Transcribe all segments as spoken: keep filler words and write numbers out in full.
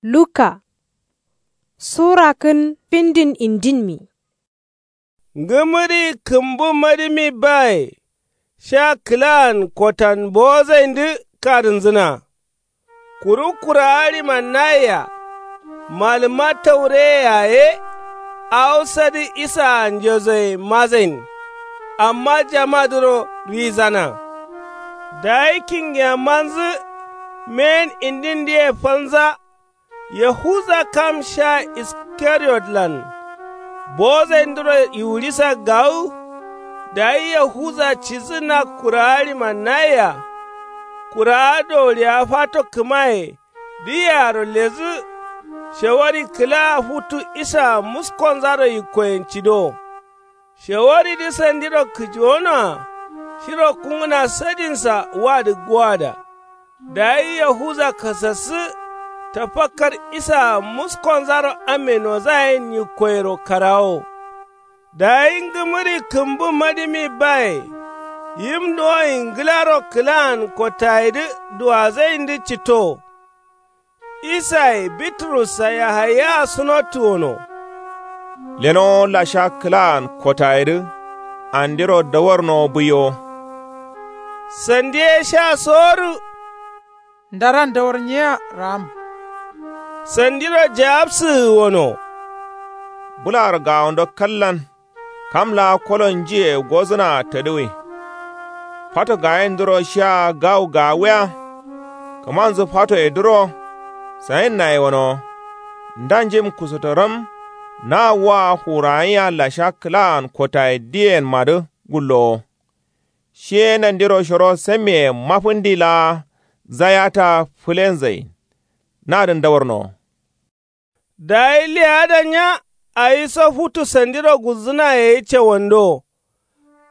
Luka sura kǝn findin indinmi. Ngǝmǝri kǝmbǝ madǝmi baye sha kǝlaan kotan bowozaindǝ kadǝnzǝna. Kuru kurawa ɍiman nayea malǝma taureye yaye awo sadǝ isaa njezoye mazain. Amma jamadǝro ɍiizana. Dayi kingiyamanzǝ meyen indindǝye falnza. Yahuza kam sha iskariyotlan bowozaindǝro yiwurisa gawu. Dayi yahuza cidǝ na kurawa ɍiman nayea. Kurawa dowuriya fato kǝmaye dǝyearo ledǝ. Shawari kǝlaa futu isaa muskonzaro yikkoyen cidowo. Shawaridǝ sandiro kǝjiwonoa shiro kungǝna sadinsa wadǝ gowada. Dayi yahuza kasassǝ tafakkar isaa muskonzaro amme nozayen yikkoyero karawo. Dayi ngǝmǝri kǝmbǝ madǝmi baye yim duwoin ngǝlaro kǝlaan kotayedǝ duwazaindǝ citto. Isaye biturussa yahayaa sunottǝ wono. Lenowo lasha kǝlaan kotayedǝ andiro dawarnowo buiyowo. Sandi ye sha sowodu. Ndaran dawar nyiya raam. Sandiro jawabsǝgǝ wono. Bǝlaro gawondo kallan kam laa kolo njiye gozǝnaa tadǝwui. Fato gayindǝro shia gawu gawuya. Kǝmanzǝ fatoyedǝro sayinnaye wonowo. Ndanjim kusotoram na wa fuwurayiya lasha kǝlaan kotaye diyenmadǝ gullowo. Shiye nandiro shoro sammiye mafǝndi laa zayata fǝlenzain. Nadǝn dawarnowo. Dayi leyada nya awiso futu sandiro gulzǝnaye cawando.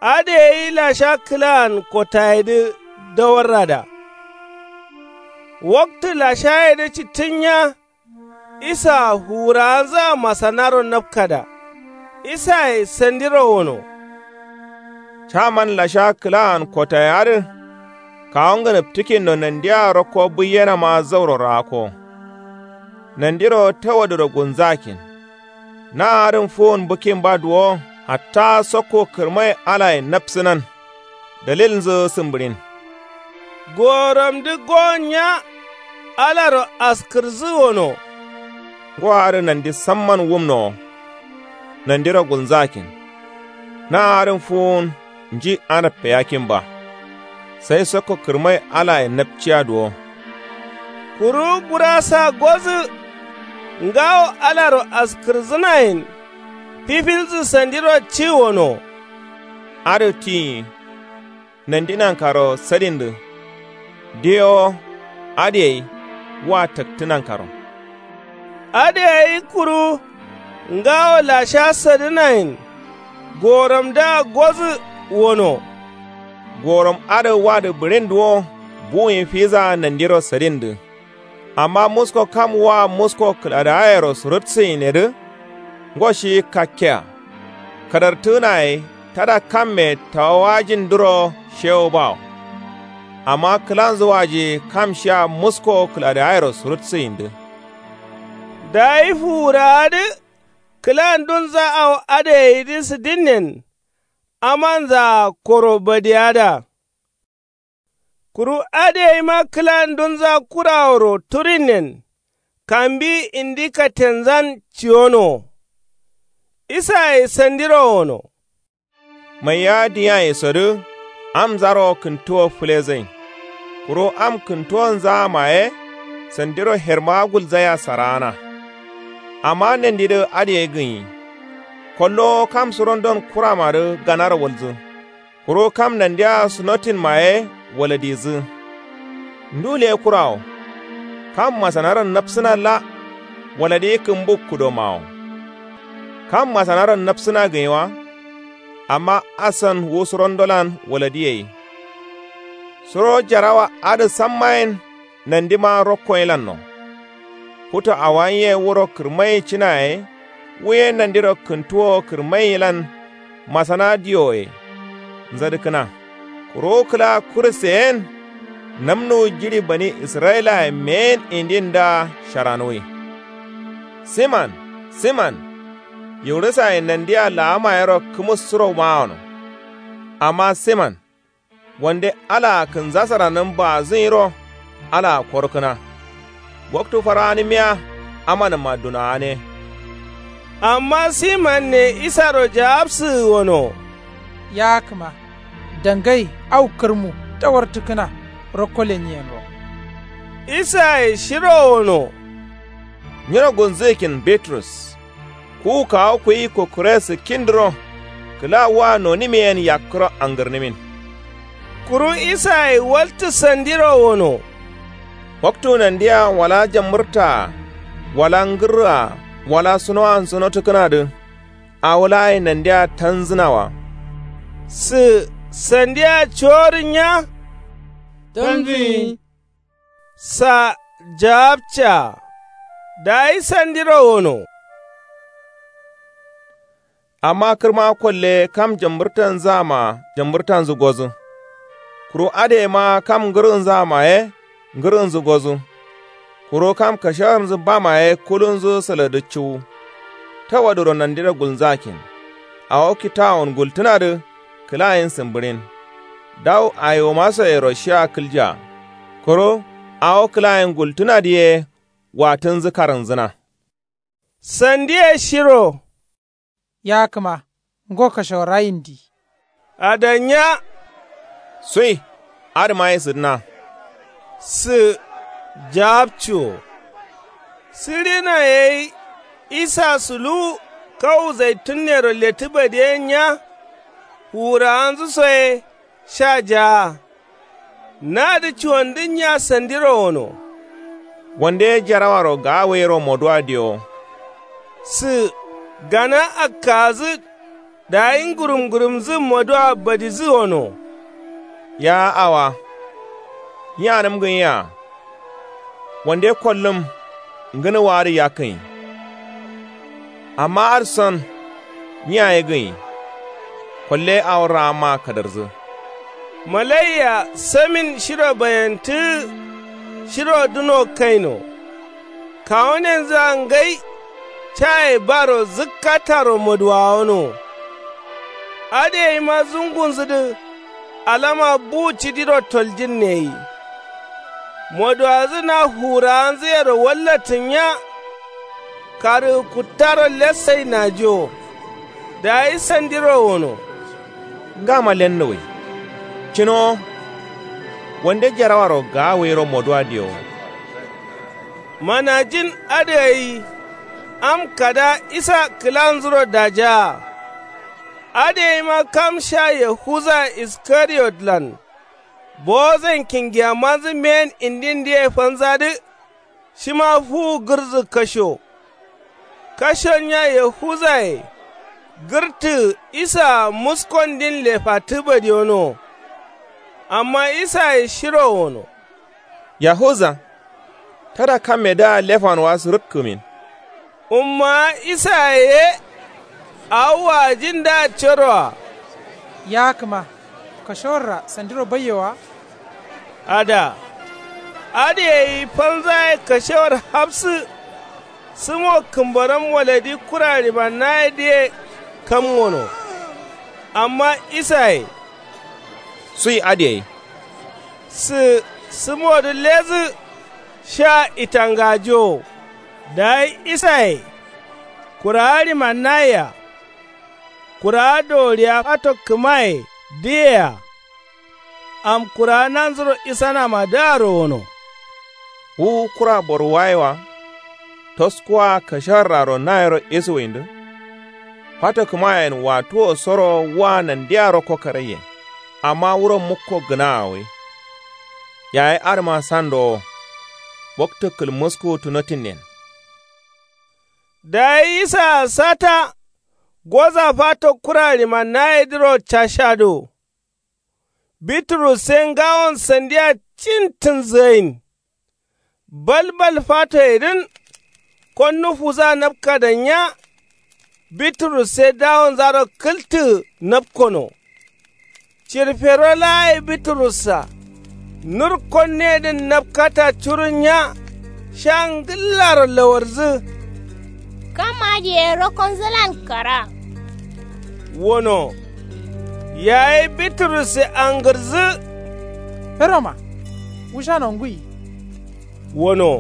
Adǝ gai lasha kǝlaan kotayedǝ dawarrada. Waktǝ lashayedǝ cittǝnnya. Isaa fuwurawanzǝa masanaro napkada. Isaye sandiro wono. Caman lasha kǝlaan kotaye adǝ kawu ngǝnǝptǝkinno nandia rokko buiyenama zauro raakko. Nandiro tawadǝro gulnzakin. Na adǝn fuwun bǝkkin ba duwo hatta sokku kǝrmai alaye napsǝnan. Dalilnzǝ sǝmbǝɍin. Goworamdǝ gowon nya alaro askǝrǝsǝ wono. Ngo adǝ nandi samman wumnowo. Nandiro gulnzakin. Na adǝn fuwun nji anappe yakkin ba. Sai sokko kǝrmai alaye napciya duwo. Kuru burasa gozǝ ngawo alaro askǝrǝsǝnayen. Fifilsǝ sandiro ci wono. Adǝ tiyi. Nandi nankaro sadindǝ. Diyewo adǝ gai wa taktǝ nankaro. Adǝ gai kuru ngawo lasha sadǝnayen. Goworamdǝa gozǝ wono. Goworam adǝ wadǝ bǝɍin duwo buwuyin fiza nandiro sadindǝ. Amma musko kam wa musko kǝladawayero surutsuyinnedǝ. Ngo shi kakkea kadartǝgǝnaye tada kamme tawawajindǝro shewo bawo. Amma kǝlanzǝ waji kam shia musko kǝladawayero surutsǝyindǝ. Dayi fuwurawadǝ kǝlandunza awo adǝ gaidǝ sǝdinnen. Amanzaa koro badiyada. Kuru adǝ gaima kǝlandunza kuraworo turinnen. Kambi indi kattenzan ciwonowo. Isaye sandiro wono. Maiya diyaye sodǝ amnzaro kǝntuwo fǝlezain. Kuru am kǝntuwonzaa maye sandiro hermawa gulzaiya saraana. Amma nandidǝ adǝ gai gǝnyi. Kollowo kam surondon kuramadǝ ganaro walzǝ. Kuru kam nandia sunotin maye waladizǝ. Ndu leye kurawo. Kam masanaron napsǝnalla waladi kǝmbu kudomawo. Kam masanaron napsǝna gǝnyi wa. Amma asan wu surondolan waladi gai. Suro jarawa adǝ sammayen nandima rokkoyelanno. Futu awo gai ye wuro kǝrmai cina yayi wu ye nandiro kǝntuwo kǝrmailan. Masana diyoye nzadǝkkǝna. Kuru kǝla kuruseye yen namnuwu jiɍi bani israyilaye meyen indindǝa sharanuwui. Siman, Siman, yiwurisaye nandiya laamayero kǝmussuro mawono. Amma siman, wande alaa kǝnzasaranǝm baazǝnyiro alaa korkǝna. Waktu faraanǝmiya amanǝmma dunaane. Amma simanne isaro jaabsǝgǝ wono. Yaakǝma, dangai au kǝrmu tawartǝkkǝna rokko lenyiyenro. Isaye shiro wono. Nyiro gulnzǝgǝkin bitrus, kuwu kawu kuyi kukkure sǝkkindǝro kǝla wa nonimiyen yakkǝro angǝrnimin. Kuru isaye waltǝ sandiro wono. Waktu nandiya wala jambǝrtaa wala ngǝrraa wala sunowansu notǝkkǝnadǝ, awo laaye nandiya tanzǝnawa. Sǝ sandiya coworǝnya. Tanzǝnyi. Sa jaabcaa. Dayi sandiro wono. Amma kǝrma kolle kam jambǝrtanzǝama jambǝrtanzǝ gozǝ. Kuru adǝ yema kam ngǝrǝnzǝama ye ngǝrǝnzǝ gozǝ. Kuru kam kashewarnzǝ bama ye kulunzǝ sǝladǝ cuwu. Tawadǝro nandiro gulnzakin. Awo kitawun gultǝnadǝ kǝlayen sǝmbǝɍin. Dawu ayiwumasoyero shia kǝlja. Kuru awo kǝlayen gultǝnadǝ ye watǝnzǝ karǝnzǝna. Sandiye shiro. Yaakǝma, ngo kashewarra yindi. Adanya. Sui adǝma ye sǝdǝna. Sǝ jaabcuwo. Sǝɍina yai isa suluwu kawu zaitunnero lettǝ badiyen nya. Fuwurawanzǝ so ye sha jaa. Nadǝ cuwandǝnnya sandiro wono. Wande jarawaro gaawayiro moduwa diyowo. Sǝ gana akkagǝ dayi ngǝrum ngǝrumzǝ moduwa badidǝ wono. Ya awa, nyi anǝm gǝnyea? Wande kollǝm ngǝnǝwaadǝ yakkǝnyi. Amma adǝ son nyi yaye gǝnyi. Kolle awo raamma kadarzǝ. Malaiya samin shiro bayantǝgǝ shiro duno kaino. Kawunenzǝa ngai caye baro zǝkkataro moduwawano. Adǝ yaima zungunzǝdǝ alama bu cidiro toljǝnne gai. Moduwadǝ na fuwurawanzǝyero wallatǝnnya. Karǝgǝ kuttaro lessai najiwo. Dayi sandiro wono. Ngama lennuwai. Cǝnowo. Wande jarawaro gaawayiro moduwa diyowo. Manajin adǝ gai. Am kada isa kǝlanzuro dajaa. Adǝ yaima kam sha yahuza iskariyotlan. Bowozain kingiyamanzǝ mbeyen indindǝye fanzadǝ. Shima fuwu gǝrdzǝ kasho. Kashonnya yahuzaye gǝrtǝgǝ isaa muskondin lefattǝ badiyonowo. Amma isaye shiro wono. Yahuza. Tada kammedǝa lefanwa sǝrǝkkǝmin. Ummawa isaye ye. Awo waajindǝa caroa. Yaakǝma, kashewarra sandiro baiye wa? Ada. Adǝ gai fanzaye kashewar hafsǝ. Sǝmo kǝmbaram waladi kura ɍimannayedǝye kam gono. Amma isaye. Sui adǝ gai. Sǝ sǝmodǝ ledǝ sha itangajowo. Dayi isaye. Kurawa ɍimannayea. Kurawa doworiya fato kǝmaye dǝyea. Am kurawa nanzuro isanamadǝaro wono. Wu kura boruwaye wa. Toskuwa kashewarraro nayero isuwindǝ. Fato kǝmayen wattuwo soro wa nandiya rokko karaiye. Amma wuro mukko gǝnaa gai. Yayi adǝma sandowo. Waktu kǝlmuskuwuttu notinnen. Dayi isaa sata. Goza fato kura ɍimannayedǝro cashado. Biturusse ngawon sandiya cintǝnzǝgain. Balbal fatoyedǝn. Konnu fuza napkadannya. Biturusse dawonzaro kǝltǝgǝ napkono. Cirfero laa ye biturussa. Nur konneyedǝn napkata curunnya. Sha ngǝllaro lawardzǝ. Kam adǝ ye rokonzǝlan kara. Wono. Yayi biturusse angǝrǝzǝ. Feroma, wushano ngui. Wono.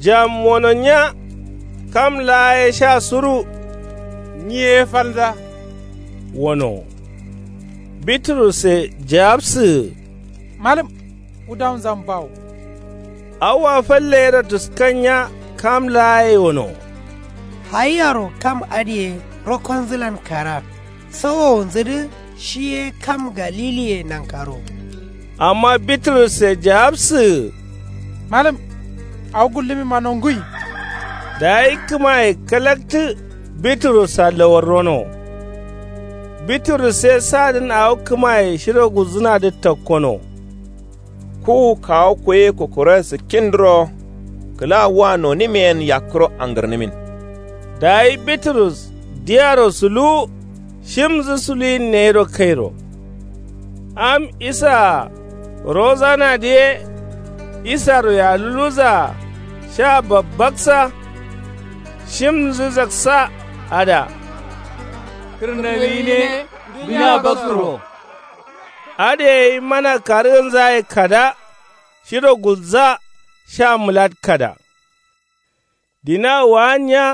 Jam wono nya. Kam laa ye sha suru. Nyi ye falnza. Wono. Biturusse jawabsǝgǝ. Malǝm, wudawunzan bawo. Awoa falle yero tǝskannya. Kam laa ye wono. Hayiyaro kam adǝ ye rokonzǝlan kara. Sawowunzǝ dǝ shi ye kam galiliye nankaro. Amma biturusse jawabsǝgǝ. Malǝm, awo gullǝmimma nongui. Dayi kǝmaye kalaktǝ. Biturussa lawarrono. Biturus ye sadǝn awo kǝmaye shiro gulzǝnadǝ takkono. Kuwu kawu kuye kukuroye sǝkkindǝro. Kǝla wua nonimiyen yakkǝro angǝrnǝmin. Dayi biturus diyaro suluwu. Shimnzǝ suluwinne yero kairo. Am isaa rozanadǝ ye. Isaro yaluluzaa sha babbaksa. Shimnzǝ zaksa. Ada. Kǝrnami gǝne duniya bakkǝro. Adǝ ye gai mana karǝgǝnzaye kada. Shiro gulza sha mǝlatkada. Dina waannya.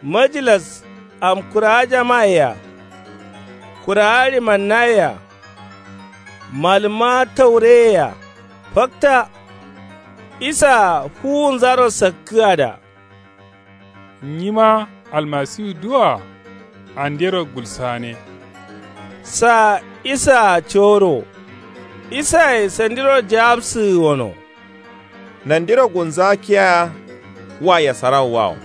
Majilas am kurawa jamaye-a. Kurawa ɍimannayea. Malǝmma taureyea fakta. Isaa fuwunzaro sakkǝgada. Nyima almasiwu duwoa. Andero gulsane. Saa isaa coro. Isaye sandiro jawabsǝgǝ wono. Nandiro gulnza kiya. Wa yasarawu wawo.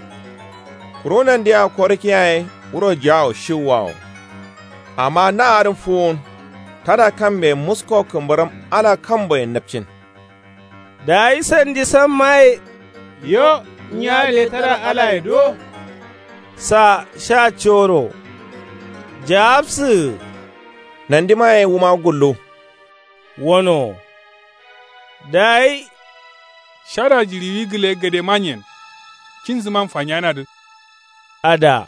Kuru nandia korǝkiya ye wuro jawo shiwu wawo. Amma na adǝn fuwun. Tada kambe musko kǝmbǝrǝm ala kamboyen napcin. Dayi sandi sammaye. Yo. Nyi adǝ ye tada alaye do. Saa sha coro. Jawabsǝgǝ. Nandimaye wuma gullu. Wono. Dayi. Shada jiɍiwi gǝle gade manyen. Cinzǝman fanyanadǝ. Ada.